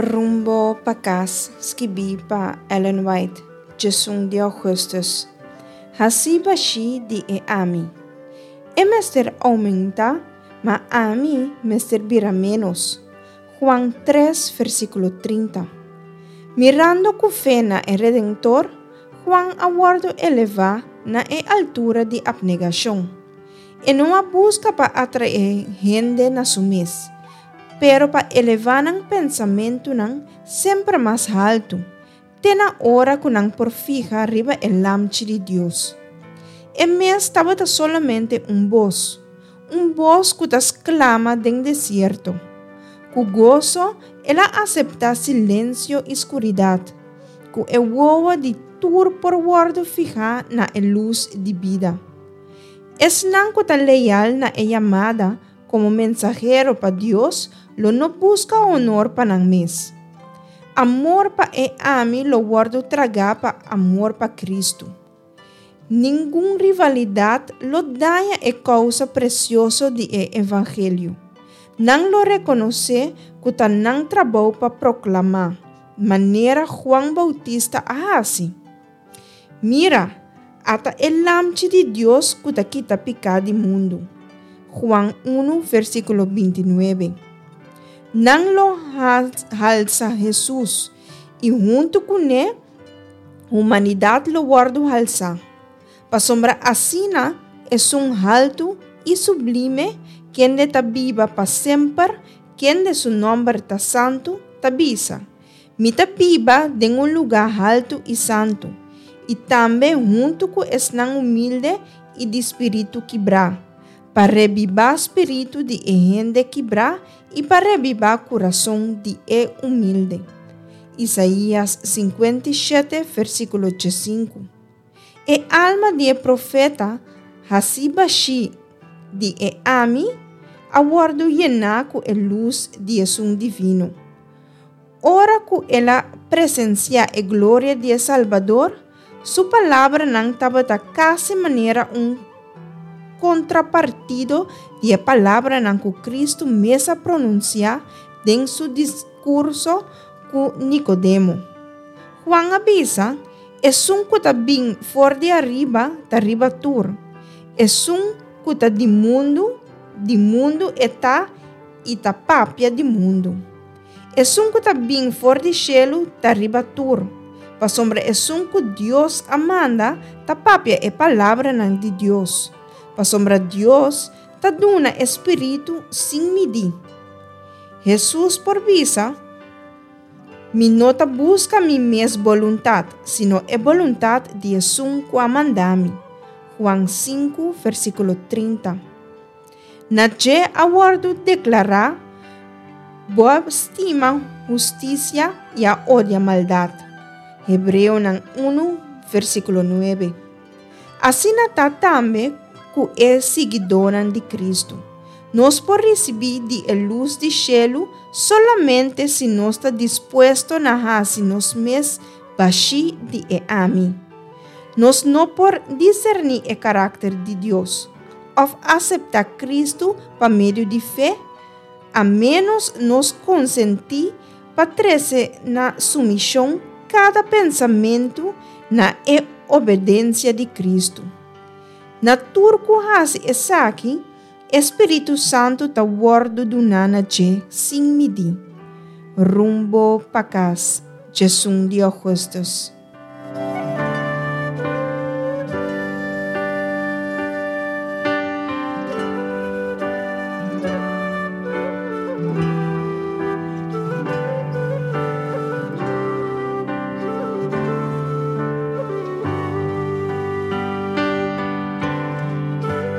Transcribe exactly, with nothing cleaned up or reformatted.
Rumbo pa kas, skibí pa Ellen White, diesun di ougùstùs. Hasi bashí di e ami. E mester oumentá, ma ami mester bira ménos. Juan tres, versíkulo trinta. Mirando ku fe na e Redentor, Juan a wòrdu elevá na e altura di apnegashon. E no a buska pa atraé hende na su mes, pero pa elevá nan pensamentunan semper mas haltu, te na ora ku nan por fiha riba e Lamchi di Dios. E mes tabata solamente un bos, un bos ku ta sklama den desierto. Ku goso el a aseptá silensio i skuridat, ku e wowo di tur por wòrdu fihá na e lus di bida. Esnan ku ta leal na e yamada komo mensahero pa Dios lo no buska honor pa nan mes. Amor pa e ami lo wòrdu tragá pa amor pa Kristu. Ningun rivalidat lo daña e kousa presioso di e evangelio. Nan lo rekonosé ku ta nan trabou pa proklamá, manera Juan Boutista a hasi. Mira, ata e Lamchi di Dios ku ta kita piká di mundu. Juan un, versíkulo binti nuebe. Nan lo halsa Hesus, i huntu kuné humanidat lo wòrdu halsá. Pasobra asina Esun haltu i sublime, kende ta biba pa semper, kende su nòmber ta santu, ta bisa, Mi ta biba den un lugá haltu i santu, i tambe huntu ku esnan humilde i di spiritu kibrá, pa rebibá spiritu di e hende kibrá i pa rebibá kurason di e humilde. Isaías sinkuenta i shete, versíkulo diesinku. E alma di e profeta hasí bashí di e ami a wòrdu yená ku e lus di Esun Divino. Ora ku el a presensiá e gloria di e Salbador, su palabranan tabata kasi manera un kontrapartido di e palabranan ku Kristu mes a pronunsiá den su diskurso ku Nikodemo. Juan a bisa, Esun ku ta bin for di ariba ta riba tur. Esun ku ta di mundu, di mundu e ta i ta papia di mundu. Esun ku ta bin for di shelu ta riba tur, pasobra esun ku Dios a manda ta papia e palabranan di Dios, pasobra Dios ta duna e spiritu sin midí. Hesus por bisa, Mi no ta buska mi mes boluntat, sino e boluntat di esun ku a manda mi. Juan sinku, versíkulo trinta. Na dje a wòrdu deklará, Bo a stima hustisia i a odia maldat. Hebreonan unu, versíkulo nuebe. Asina ta tambe ku e siguidónan di Kristu. Nos por risibí di e lus di shelu solamente si nos ta dispuesto na hasi nos mes bashí di e ami. Nos no por diserní e karakter di Dios òf aseptá Kristu pa medio di fe a ménos nos konsentí pa trese na sumishon kada pensamentu na e obedensia di Kristu. Na tur ku hasi esaki, e Spiritu Santu ta wòrdu duná na dje sin midí. Rumbo pa kas, diesun di ougùstùs.